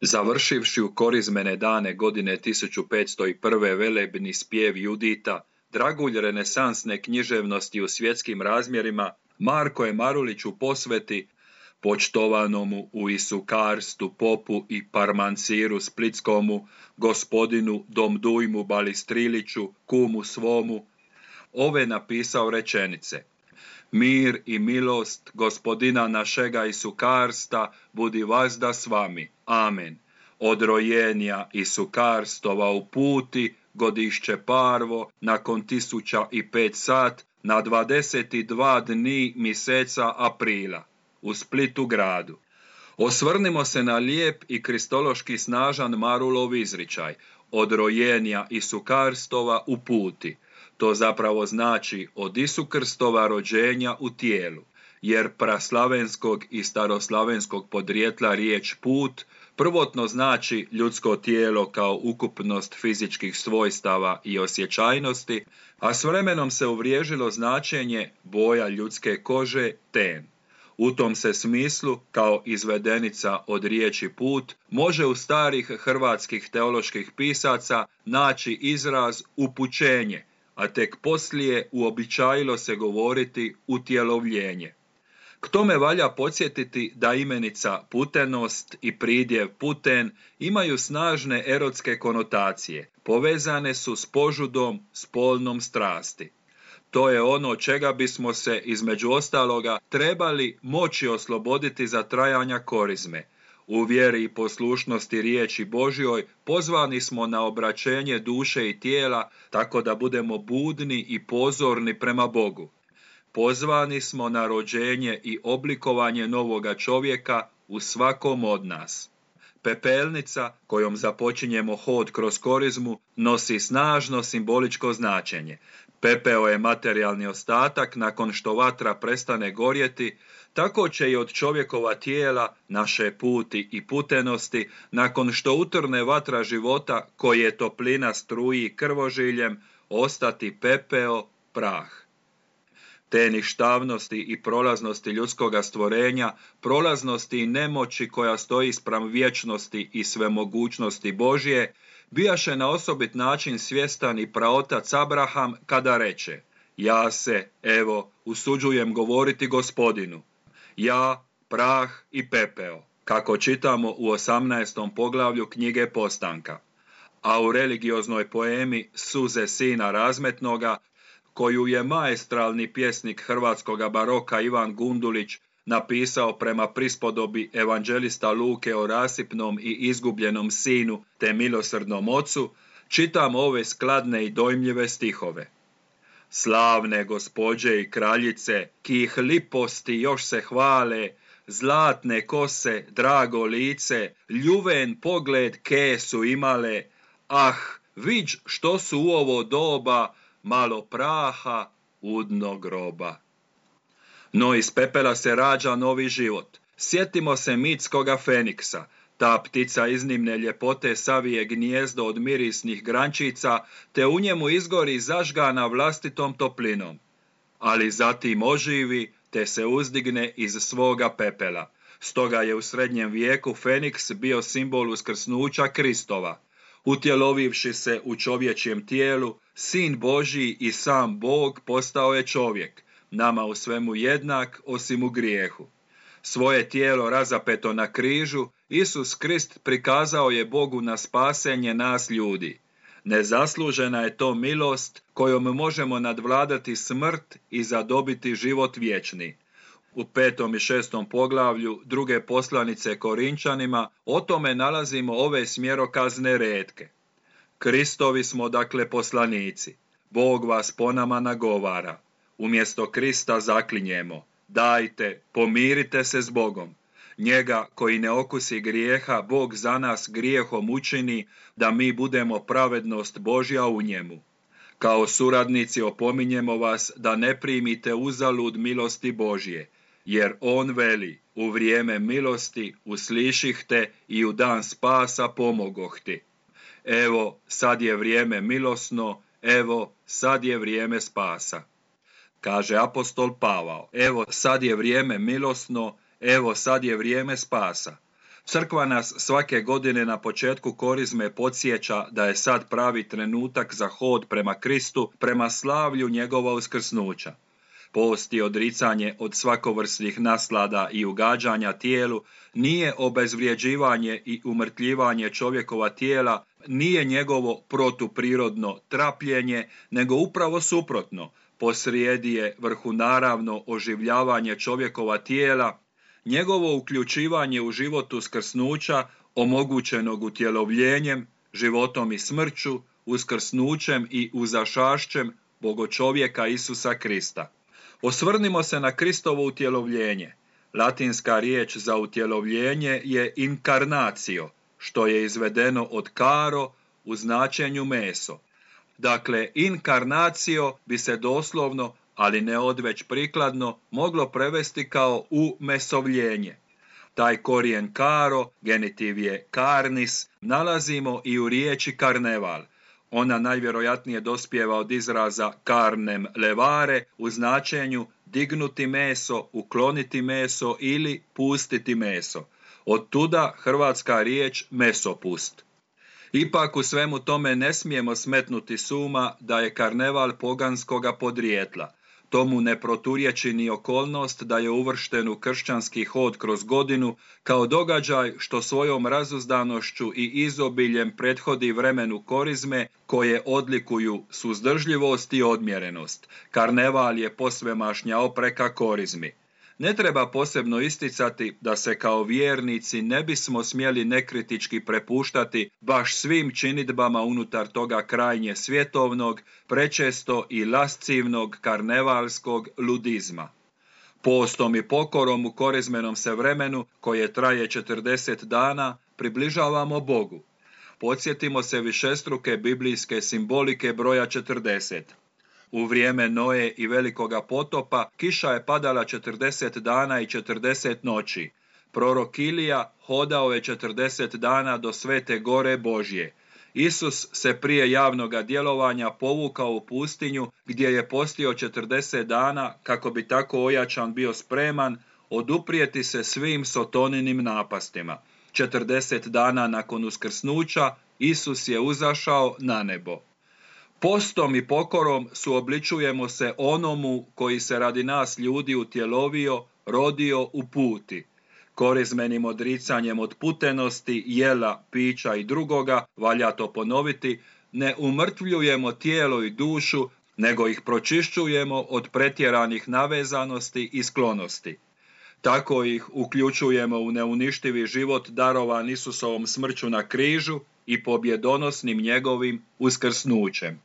Završivši u korizmene dane godine 1501. velebni spjev Judita, dragulj renesansne književnosti u svjetskim razmjerima, Marko je Marulić u posveti počtovanomu u Isukarstu popu i parmanciru splitskomu, gospodinu Domdujmu Balistriliću, kumu svomu, ove napisao rečenice: Mir i milost gospodina našega Isukarsta budi vazda s vami. Amen. Od rojenja Isukarstova u puti, godišće parvo, nakon 1005 sat, na 22 dni mjeseca aprila, u Splitu gradu. Osvrnimo se na lijep i kristološki snažan Marulov izričaj, od rojenja Isukarstova u puti. To zapravo znači od Isukrstova rođenja u tijelu, jer praslavenskog i staroslavenskog podrijetla riječ put prvotno znači ljudsko tijelo kao ukupnost fizičkih svojstava i osjećajnosti, a s vremenom se uvriježilo značenje boja ljudske kože ten. U tom se smislu, kao izvedenica od riječi put, može u starih hrvatskih teoloških pisaca naći izraz upućenje, a tek poslije uobičajilo se govoriti utjelovljenje. K tome valja podsjetiti da imenica putenost i pridjev puten imaju snažne erotske konotacije, povezane su s požudom, spolnom strasti. To je ono čega bismo se, između ostaloga, trebali moći osloboditi za trajanja korizme. U vjeri i poslušnosti riječi Božjoj pozvani smo na obraćenje duše i tijela, tako da budemo budni i pozorni prema Bogu. Pozvani smo na rođenje i oblikovanje novoga čovjeka u svakom od nas. Pepelnica, kojom započinjemo hod kroz korizmu, nosi snažno simboličko značenje. Pepeo je materijalni ostatak nakon što vatra prestane gorjeti, tako će i od čovjekova tijela, naše puti i putenosti, nakon što utrne vatra života, koje toplina struji krvožiljem, ostati pepeo, prah. Te ništavnosti i prolaznosti ljudskoga stvorenja, prolaznosti i nemoći koja stoji spram vječnosti i svemogućnosti Božje, bijaše na osobit način svjestan i praotac Abraham kada reče: Ja se, evo, usuđujem govoriti Gospodinu, ja, prah i pepeo, kako čitamo u 18. poglavlju knjige Postanka. A u religioznoj poemi Suze sina razmetnoga, koju je maestralni pjesnik hrvatskoga baroka Ivan Gundulić napisao prema prispodobi evanđelista Luke o rasipnom i izgubljenom sinu te milosrdnom ocu, čitam ove skladne i dojmljive stihove. Slavne gospođe i kraljice, kih liposti još se hvale, zlatne kose, drago lice, ljuven pogled ke su imale, ah, viđ što su u ovo doba, malo praha, udno groba. No iz pepela se rađa novi život. Sjetimo se mitskoga Feniksa. Ta ptica iznimne ljepote savije gnijezdo od mirisnih grančica, te u njemu izgori zažgana vlastitom toplinom. Ali zatim oživi, te se uzdigne iz svoga pepela. Stoga je u srednjem vijeku Feniks bio simbol uskrsnuća Kristova. Utjelovivši se u čovječjem tijelu, Sin Božji i sam Bog postao je čovjek, nama u svemu jednak osim u grijehu. Svoje tijelo razapeto na križu, Isus Krist prikazao je Bogu na spasenje nas ljudi. Nezaslužena je to milost kojom možemo nadvladati smrt i zadobiti život vječni. U 5. i 6. poglavlju druge poslanice Korinčanima o tome nalazimo ove smjerokazne retke. Kristovi smo dakle poslanici. Bog vas po nama nagovara. Umjesto Krista zaklinjemo: dajte, pomirite se s Bogom. Njega koji ne okusi grijeha, Bog za nas grijehom učini, da mi budemo pravednost Božja u njemu. Kao suradnici opominjemo vas da ne primite uzalud milosti Božje, jer on veli: u vrijeme milosti uslišihte i u dan spasa pomogohti. Evo, sad je vrijeme milosno, evo, sad je vrijeme spasa. Kaže apostol Pavao: evo, sad je vrijeme milosno, evo, sad je vrijeme spasa. Crkva nas svake godine na početku korizme podsjeća da je sad pravi trenutak za hod prema Kristu, prema slavlju njegova uskrsnuća. Post i odricanje od svakovrsnih naslada i ugađanja tijelu nije obezvrjeđivanje i umrtljivanje čovjekova tijela, nije njegovo protuprirodno trapljenje, nego upravo suprotno, posrijedi je vrhunaravno oživljavanje čovjekova tijela, njegovo uključivanje u život uskrsnuća, omogućenog utjelovljenjem, životom i smrću, uskrsnućem i uzašašćem Bogočovjeka Isusa Krista. Osvrnimo se na Kristovo utjelovljenje. Latinska riječ za utjelovljenje je incarnatio, što je izvedeno od caro u značenju meso. Dakle, incarnatio bi se doslovno, ali ne odveć prikladno, moglo prevesti kao umesovljenje. Taj korijen caro, genitiv je carnis, nalazimo i u riječi karneval. Ona najvjerojatnije dospijeva od izraza carnem levare u značenju dignuti meso, ukloniti meso ili pustiti meso. Od tuda hrvatska riječ mesopust. Ipak u svemu tome ne smijemo smetnuti s uma da je karneval poganskoga podrijetla. Tomu ne proturječi ni okolnost da je uvršten u kršćanski hod kroz godinu kao događaj što svojom razuzdanošću i izobiljem prethodi vremenu korizme koje odlikuju suzdržljivost i odmjerenost. Karneval je posvemašnja opreka korizmi. Ne treba posebno isticati da se kao vjernici ne bismo smjeli nekritički prepuštati baš svim činidbama unutar toga krajnje svjetovnog, prečesto i lascivnog karnevalskog ludizma. Postom i pokorom u korizmenom se vremenu, koje traje 40 dana, približavamo Bogu. Podsjetimo se višestruke biblijske simbolike broja 40. U vrijeme Noe i velikoga potopa kiša je padala 40 dana i 40 noći. Prorok Ilija hodao je 40 dana do Svete Gore Božje. Isus se prije javnoga djelovanja povukao u pustinju gdje je postio 40 dana kako bi tako ojačan bio spreman oduprijeti se svim sotoninim napastima. 40 dana nakon uskrsnuća Isus je uzašao na nebo. Postom i pokorom suobličujemo se onomu koji se radi nas ljudi utjelovio, rodio u puti. Korizmenim odricanjem od putenosti, jela, pića i drugoga, valja to ponoviti, ne umrtvljujemo tijelo i dušu, nego ih pročišćujemo od pretjeranih navezanosti i sklonosti. Tako ih uključujemo u neuništivi život darovan Isusovom smrću na križu i pobjedonosnim njegovim uskrsnućem.